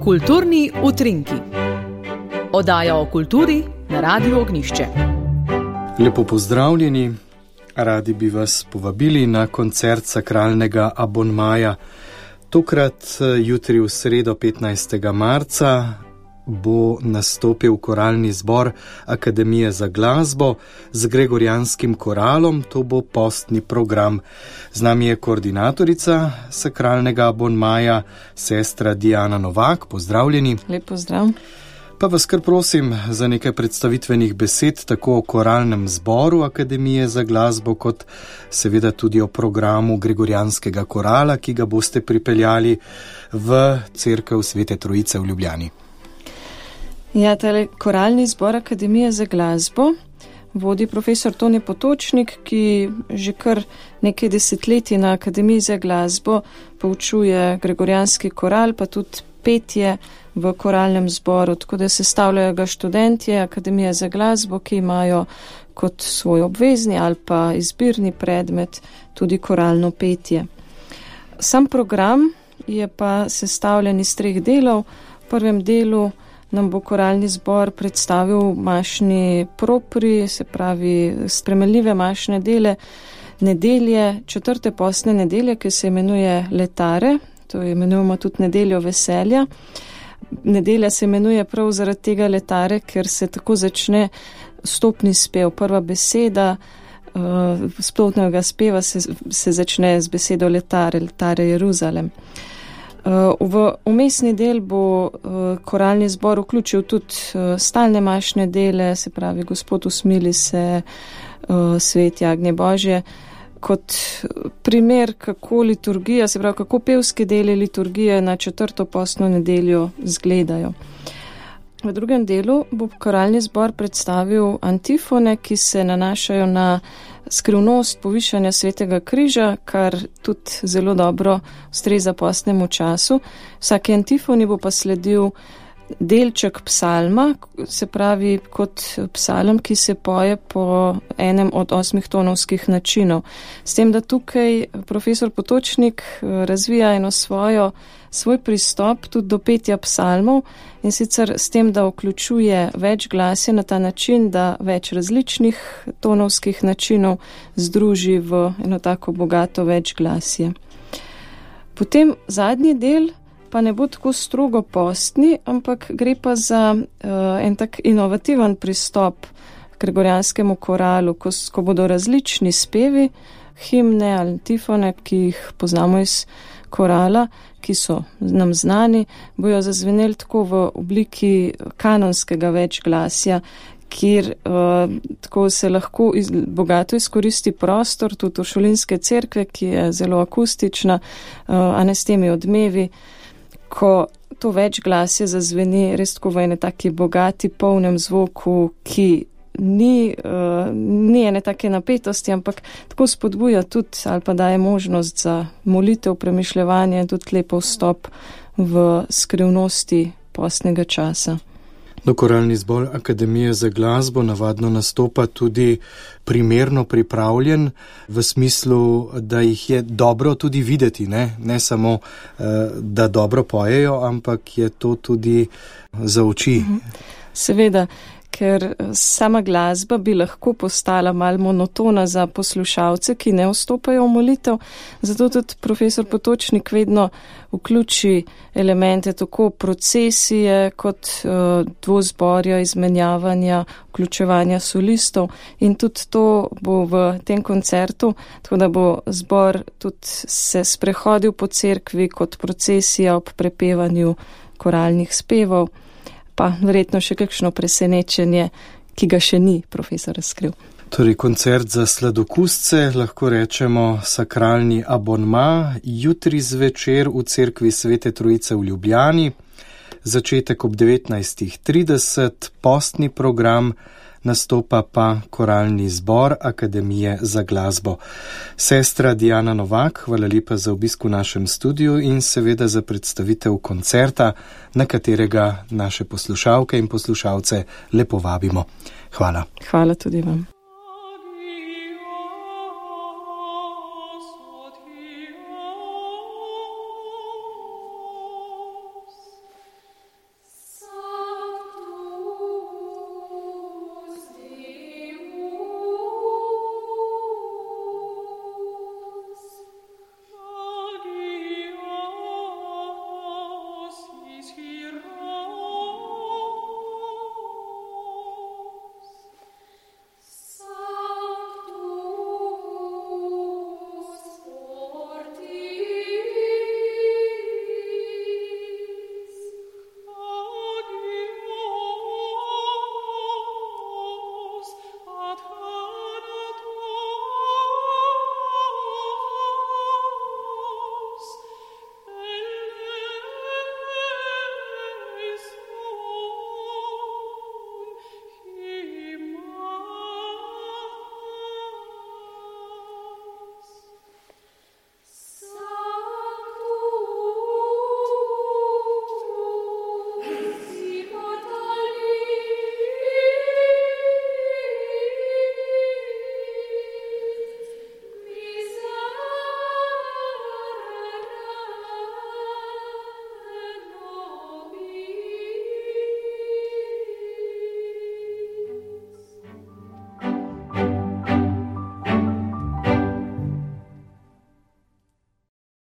Kulturni utrinki. Oddaja o kulturi na Radiu Ognjišče. Lepo pozdravljeni. Radi bi vas povabili na koncert sakralnega abonmaja. Tokrat jutri v sredo 15. marca bo nastopil koralni zbor Akademije za glasbo z gregorijanskim koralom. To bo postni program. Z nami je koordinatorica sakralnega abonmaja, sestra Diana Novak. Pozdravljeni. Lep pozdrav. Pa vas kar prosim za nekaj predstavitvenih besed tako o koralnem zboru Akademije za glasbo, kot seveda tudi o programu gregorijanskega korala, ki ga boste pripeljali v cerkev Svete Trojice v Ljubljani. Ja, tale koralni zbor Akademije za glasbo vodi profesor Tone Potočnik, ki že kar nekaj desetletij na Akademiji za glasbo poučuje gregorijanski koral, pa tudi petje v koralnem zboru, tako da sestavljajo ga študentje Akademije za glasbo, ki imajo kot svoj obvezni ali pa izbirni predmet tudi koralno petje. Sam program je pa sestavljen iz 3 delov. V prvem delu nam bo koralni zbor predstavil mašni propri, se pravi spremenljive mašne dele nedelje, 4. postne nedelje, ki se imenuje Letare, to imenujemo tudi nedeljo veselja. Nedelja se imenuje prav zaradi tega Letare, ker se tako začne stopni spev. Prva beseda splošnega speva se začne z besedo Letare, Letare Jeruzalem. V umestni del bo koralni zbor vključil tudi stalne mašne dele, se pravi Gospod usmili se, Svet jagnje Božje, kot primer, kako liturgija, se pravi, kako pevski deli liturgije na 4. postno nedeljo izgledajo. V drugem delu bo koralni zbor predstavil antifone, ki se nanašajo na skrivnost povišanja Svetega križa, kar tudi zelo dobro ustreza postnemu času. Vsaki antifoni bo pa sledil delček psalma, se pravi kot psalm, ki se poje po enem od 8 tonovskih načinov. S tem, da tukaj profesor Potočnik razvija svoj pristop tudi do petja psalmov, in sicer s tem, da vključuje več glasje na ta način, da več različnih tonovskih načinov združi v eno tako bogato več glasje. Potem zadnji del pa ne bo tako strogo postni, ampak gre pa za en tak inovativen pristop k gregorijanskemu koralu, ko bodo različni spevi, himne ali antifone, ki jih poznamo iz korala, ki so nam znani, bojo zazveneli tako v obliki kanonskega večglasja, kjer tako se lahko bogato izkoristi prostor, tudi Uršulinske cerkve, ki je zelo akustična, a ne s temi odmevi, ko to večglasje zazveni res tako v ene taki bogati, polnem zvoku, ki ni ene take napetosti, ampak tako spodbuja tudi ali pa daje možnost za molitev, premišljevanje in tudi lepo vstop v skrivnosti postnega časa. Koralni zbor Akademije za glasbo navadno nastopa tudi primerno pripravljen, v smislu, da jih je dobro tudi videti, ne samo, da dobro pojejo, ampak je to tudi za oči. Seveda, ker sama glasba bi lahko postala malo monotona za poslušalce, ki ne vstopajo v molitev, zato tudi profesor Potočnik vedno vključi elemente tako procesije kot dvozborja, izmenjavanja, vključevanja solistov, in tudi to bo v tem koncertu, tako da bo zbor tudi se sprehodil po cerkvi kot procesija ob prepevanju koralnih spevov, pa verjetno še kakšno presenečenje, ki ga še ni profesor razkril. Torej, koncert za sladokusce, lahko rečemo sakralni abonma, jutri zvečer v cerkvi Svete Trojice v Ljubljani, začetek ob 19:30, postni program, nastopa pa koralni zbor Akademije za glasbo. Sestra Diana Novak, hvala lepa za obisk v našem studiu in seveda za predstavitev koncerta, na katerega naše poslušalke in poslušalce lepo vabimo. Hvala. Hvala tudi vam.